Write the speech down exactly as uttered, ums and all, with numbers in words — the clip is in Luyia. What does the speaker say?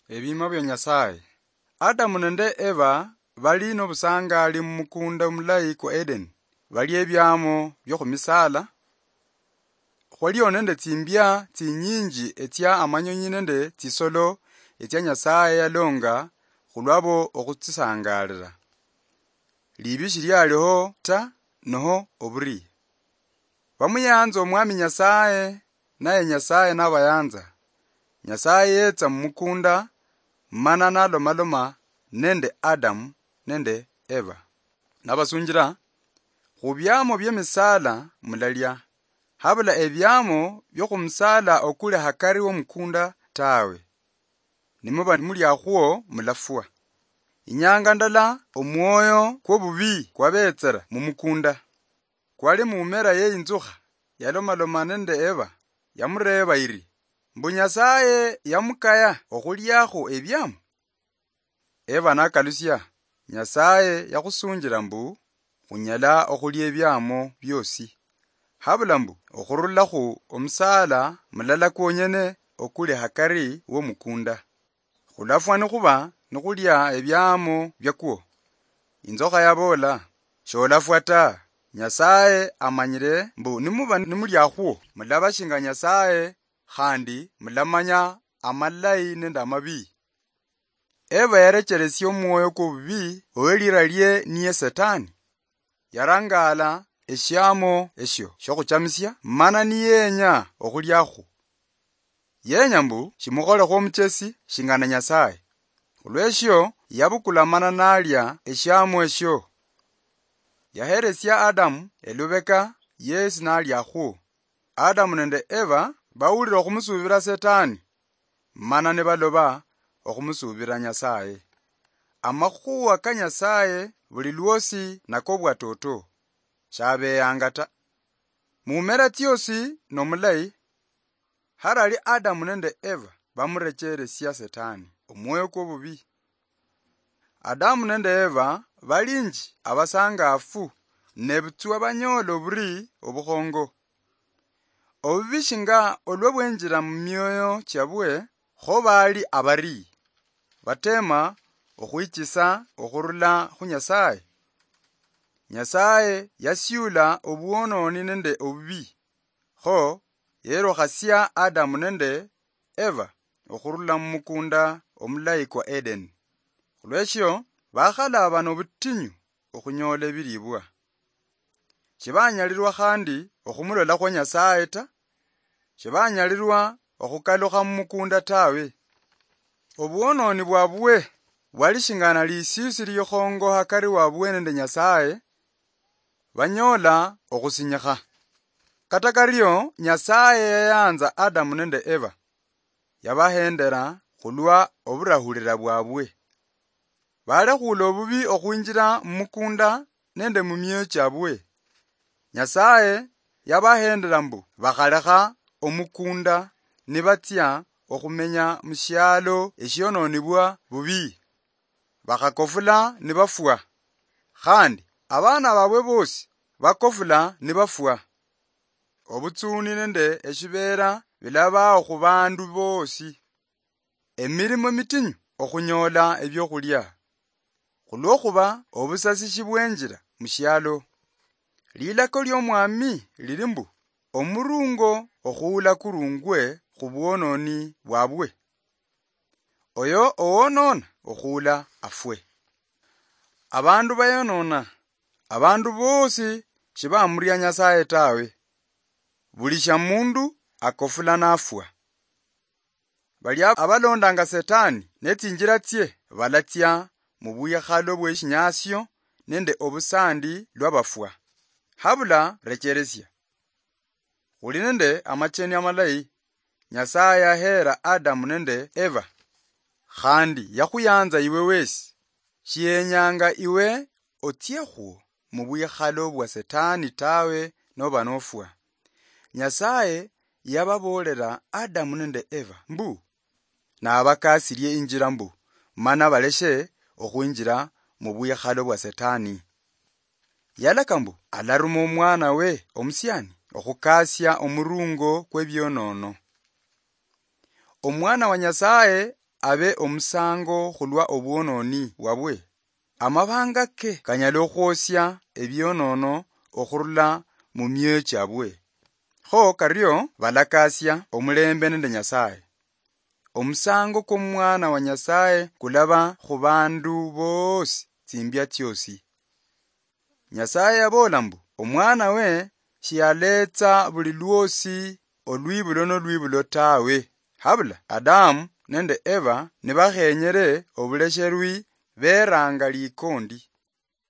Ebiima bia Nyasaye. Adamu nende Eva bali nobusangali mumukunda mulayi kwa Edeni, balia ebiamo biokhumisala. Khwalio nende tsimbia tsinyinji etsia amanyonyi nende tsisolo etsia Nyasaye yalonga khulwabo okhutsisangalila. Libi shilialiho ta, noho oburii. Bamuyanza Omwami Nyasaye, naye Nyasaye nabayanza. Nyasaye yetsa mumukunda, mana nalomaloma nende Adamu nende Eva, nabasunjila, "Khubiamo biemisala mulalia, habula ebiamo biokhumusala okuli hakari womukunda tawe. Nimuba muliakhwo, mulafwa." Inyanga ndala omwoyo kwobubii kwabetsera mumukunda. Kwali mumera ye inzukha yalomaloma nende Eva, yamureeba iri, "Mbu Nyasaye yamukaya okhuliakho ebiamo?" Eva nakalusia, "Nyasaye yakhusunjila mbu khunyala okhulia ebiamo biosi, habula mbu okhurula khu omusala mulala kwonyene okuli hakari womukunda. Khulafwa nikhuba nikhulia ebiamo biakwo." Inzokha yaboola, "Sholafwa ta. Nyasaye amanyile mbu nimuba nimuliakhwo, mulaba shinga Nyasaye, khandi mulamanya amalayi nende amabii." Eva yarecheresia omwoyo kwobubii owe lira lie niye Setani. Yarangala eshiamo eshio shiokhuchamisia, mana niyenya okhuliakhu. Yenya mbu shimukholekho omuchesi shingana Nyasaye. Khulweshio yabukula mana nalia eshiamo eshio. Yaheresia Adamu elubeka, yesi naliakhwo. Adamu nende Eva bawulira okhumusuubira Setani, mana nibaloba okhumusuubira Nyasaye. Amakhuwa ka Nyasaye buli lwosi nakobwatoto, shabeyanga ta. Mumera tsiosi nomulayi, harali Adamu nende Eva bamurecheresia Setani, omwoyo kwobubii. Adamu nende Eva balinji abasangafu, nebutswa banyoola oburii obukhongo. Obubii shinga olwa bwenjira mumioyo chiabwe, kho bali abarii, batema okhwichisa okhurula khu Nyasaye. Nyasaye yasiula obwononi nende obubii, kho yerukhasia Adamu nende Eva okhurula mumukunda omulayi kwa Edeni. Khulweshio bakhalaba nobutinyu okhunyola ebilibwa. Shibanyalirwa khandi okhumulolakhwo Nyasaye ta, shibanyalirwa okhukalukha mumukunda tawe. Obwononi bwabwe bwali shingana lisiisi likhongo hakari wabwe nende Nyasaye, banyoola okhusinyikha. Kata kario, Nyasaye yayanza Adamu nende Eva, yabahendera khulwa oburahulira bwabwe. Balekhuula obubii okhwinjira mumukunda nende mumioyo chiabwe. Nyasaye yabahendera mbu bakhalekha omukunda nibatsia okhumenya mushialo eshiononibwa bubii. Bakhakofula nibafwa, khandi abana babwe bosi bakofula nibafwa. Obutsuni nende eshibeera bilabaho khubandu bosi. Emirimo mitinyu okhunyoola ebiokhulia, khulwokhuba obusasi shibwenjira mushialo. Lilako liomwami lili mbu, omurungo okhuula kurungwe khubwononi bwabwe. Oyo owonoona okhuula afwe. Abandu bayonona, abandu bosi shibamuria Nyasaye tawe. Buli shamundu akofula nafwa. Balia abalondanga Setani netsinjira tsie balatsia mubwikhalo bweshinyasio nende obusandi lwabafwa. Habula recheresia. Khuli nende amacheni amalayi. Nyasaye yaheera Adamu nende Eva, khandi yakhuyanza iwe wesi. Shiyenyanga iwe otsiekhu mubwikhalo bwa Setani tawe noba nofwa. Nyasaye yababoolera Adamu nende Eva mbu, nabakasilie injira mbu, mana baleshe okhwinjira mubwikhalo bwa Setani. Yalaka mbu alaruma omwana we omusiani okhukasia omurungo kwebionono. Omwana wa Nyasaye abe omusango khulwa obwononi bwabwe? Amabanga ke kanyala okhwosia ebionono okhurula mu mioyo chiabwe. Kho kario balakasia omulembe nende Nyasaye. Omusango kw'omwana wa Nyasaye kulaba khu bandu boosi tsimbia tsiosi. Nyasaye yaboola mbu, omwana we shiyaletsa buli lwosi olwibulo nolwibulo tawe. Habula Adamu nende Eva nibakhenyere obulesherwi, beranga likondi.